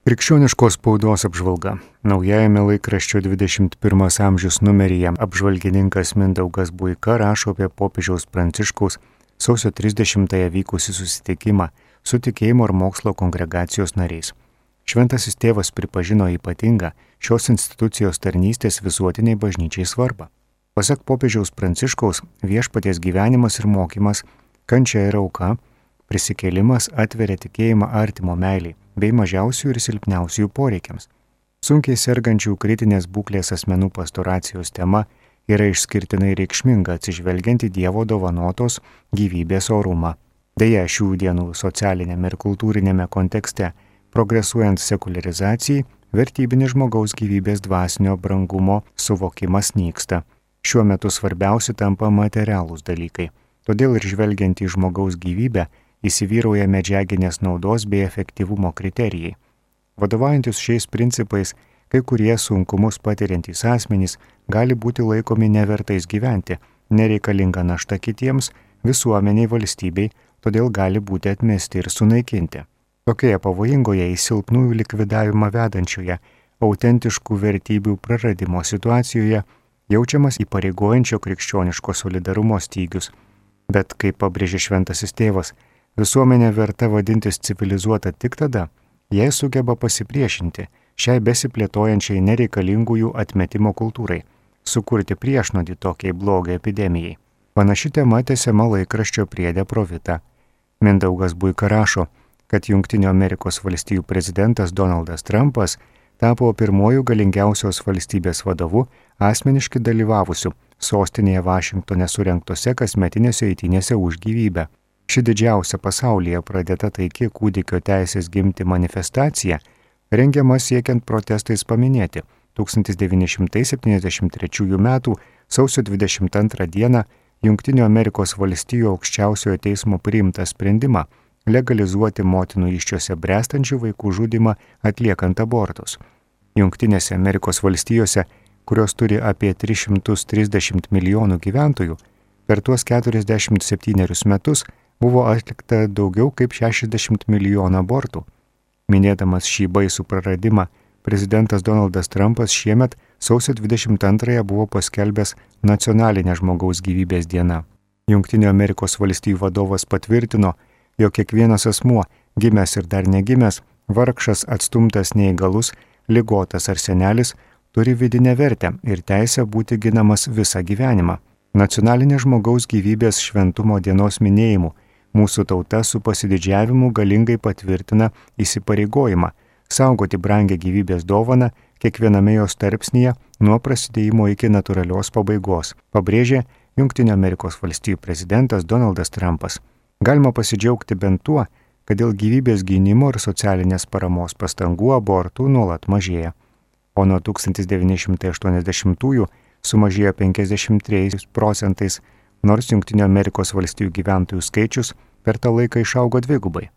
Krikščioniškos spaudos apžvalga. Naujajame laikraščio 21 amžius numeryje apžvalgininkas Mindaugas Buika rašo apie popiežiaus Pranciškaus sausio 30-ąją vykusį susitikimą su tikėjimo ir mokslo kongregacijos nariais. Šventasis tėvas pripažino ypatingą šios institucijos tarnystės visuotiniai bažnyčiai svarbą. Pasak popiežiaus Pranciškaus, viešpaties gyvenimas ir mokymas, kančia ir auka, prisikėlimas atveria tikėjimą artimo meiliai bei mažiausių ir silpniausių poreikiams. Sunkiai sergančių kritinės būklės asmenų pastoracijos tema yra išskirtinai reikšminga atsižvelgiant į Dievo dovanotos gyvybės orumą. Deja, šių dienų socialinėme ir kultūrinėme kontekste, progresuojant sekuliarizacijai, vertybinis žmogaus gyvybės dvasinio brangumo suvokimas nyksta. Šiuo metu svarbiausi tampa materialūs dalykai. Todėl ir žvelgiant į žmogaus gyvybę, įsivyrauja medžiaginės naudos bei efektyvumo kriterijai. Vadovaujantis šiais principais, kai kurie sunkumus patiriantys asmenys gali būti laikomi nevertais gyventi, nereikalinga našta kitiems, visuomeniai, valstybei, todėl gali būti atmesti ir sunaikinti. Tokioje pavojingoje į silpnųjų likvidavimą vedančioje, autentiškų vertybių praradimo situacijoje jaučiamas įpareigojančio krikščioniško solidarumo stygius. Bet, kaip pabrėžė šventasis tėvas, visuomenė verta vadintis civilizuota tik tada, jei sugeba pasipriešinti šiai besiplėtojančiai nereikalingųjų atmetimo kultūrai, sukurti priešnodį tokiai blogio epidemijai. Panaši tema tęsiama laikraščio priede Pro Vita. Mindaugas Buika rašo, kad Jungtinių Amerikos valstijų prezidentas Donaldas Trumpas tapo pirmuoju galingiausios valstybės vadovu asmeniškai dalyvavusiu sostinėje Vašingtone surengtose kasmetinėse eitynėse už gyvybę. Ši didžiausia pasaulyje pradėta taiki kūdikio teisės gimti manifestacija rengiama siekiant protestais paminėti 1973 m. sausio 22 d. Jungtinių Amerikos valstijų aukščiausiojo teismo priimtą sprendimą legalizuoti motinų įsčiose bręstančių vaikų žudymą atliekant abortus. Jungtinėse Amerikos valstijose, kurios turi apie 330 milijonų gyventojų, per tuos 47 metus buvo atlikta daugiau kaip 60 milijonų abortų. Minėdamas šį baisų praradimą, prezidentas Donaldas Trumpas šiemet sausio 22 buvo paskelbęs nacionalinę žmogaus gyvybės dieną. Jungtinių Amerikos valstijų vadovas patvirtino, jog kiekvienas asmuo, gimęs ir dar negimęs, vargšas, atstumtas, neįgalus, ligotas ar senelis, turi vidinę vertę ir teisę būti ginamas visą gyvenimą. Nacionalinė žmogaus gyvybės šventumo dienos minėjimu mūsų tauta su pasididžiavimu galingai patvirtina įsipareigojimą saugoti brangę gyvybės dovaną kiekviename jos tarpsnyje nuo prasidėjimo iki natūralios pabaigos, pabrėžė Jungtinių Amerikos valstijų prezidentas Donaldas Trumpas. Galima pasidžiaugti bent tuo, kad dėl gyvybės gynimo ir socialinės paramos pastangų abortų nuolat mažėja, o nuo 1980-ųjų sumažėjo 53 procentais, nors Jungtinių Amerikos valstijų gyventojų skaičius per tą laiką išaugo dvigubai.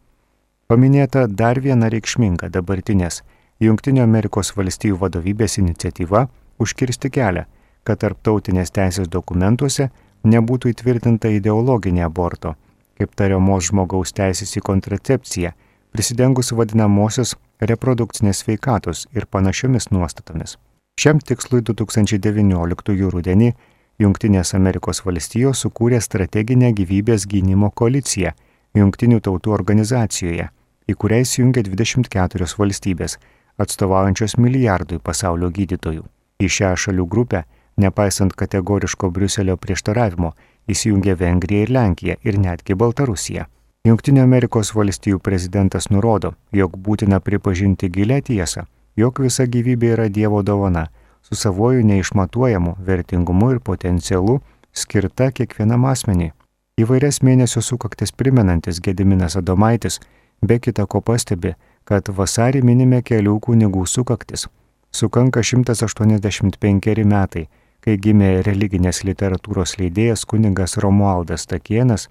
Paminėta dar viena reikšminga dabartinės Jungtinių Amerikos valstijų vadovybės iniciatyva užkirsti kelią, kad tarptautinės teisės dokumentuose nebūtų įtvirtinta ideologinė aborto, kaip tariamos žmogaus teisės į kontracepciją, prisidengus vadinamosios reprodukcinės sveikatos ir panašiomis nuostatomis. Šiam tikslui 2019 rudenį Jungtinės Amerikos valstijos sukūrė strateginę gyvybės gynimo koaliciją Jungtinių tautų organizacijoje, į kurią įsijungė 24 valstybės, atstovaujančios milijardui pasaulio gydytojų. Į šią šalių grupę, nepaisant kategoriško Briuselio prieštaravimo, įsijungė Vengrija ir Lenkija ir netgi Baltarusija. Jungtinių Amerikos valstijų prezidentas nurodo, jog būtina pripažinti gilią tiesą, jog visa gyvybė yra Dievo dovana, su savoju neišmatuojamu vertingumu ir potencialu skirta kiekvienam asmeniui. Įvairias mėnesio sukaktis primenantis Gediminas Adomaitis be kita ko pastebi, kad vasarį minime kelių kunigų sukaktis. Sukanka 185 metai, kai gimė religinės literatūros leidėjas kunigas Romualdas Stakėnas,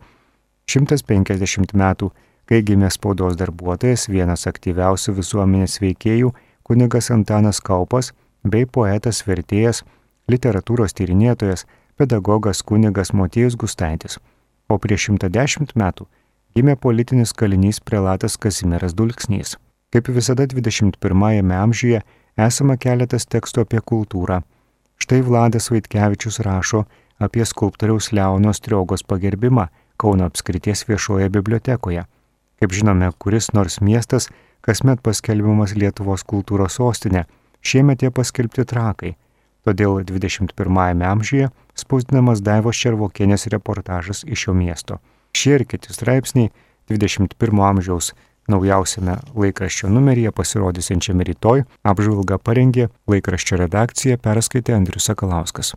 150 metų, kai gimė spaudos darbuotojas, vienas aktyviausių visuomenės veikėjų, kunigas Antanas Kaupas, bei poetas, vertėjas, literatūros tyrinėtojas, pedagogas kunigas Motiejus Gustaitis. O prieš 110 metų gimė politinis kalinys prelatas Kazimieras Dulksnys. Kaip visada 21 amžiuje esama keletas tekstų apie kultūrą. Štai Vladas Vaitkevičius rašo apie skulptoriaus Leono Striogos pagerbimą Kauno apskrities viešoje bibliotekoje. Kaip žinome, kuris nors miestas kasmet paskelbiamas Lietuvos kultūros sostinė, šiemet jie paskelbti Trakai. Todėl 21 amžiuje spausdinamas Daivos Červokienės reportažas iš šio miesto. Šie ir kiti straipsniai 21 amžiaus naujausiame laikraščio numeryje pasirodysiančiame rytoj apžvalgą parengė laikraščio redakcija, perskaitė Andrius Sakalauskas.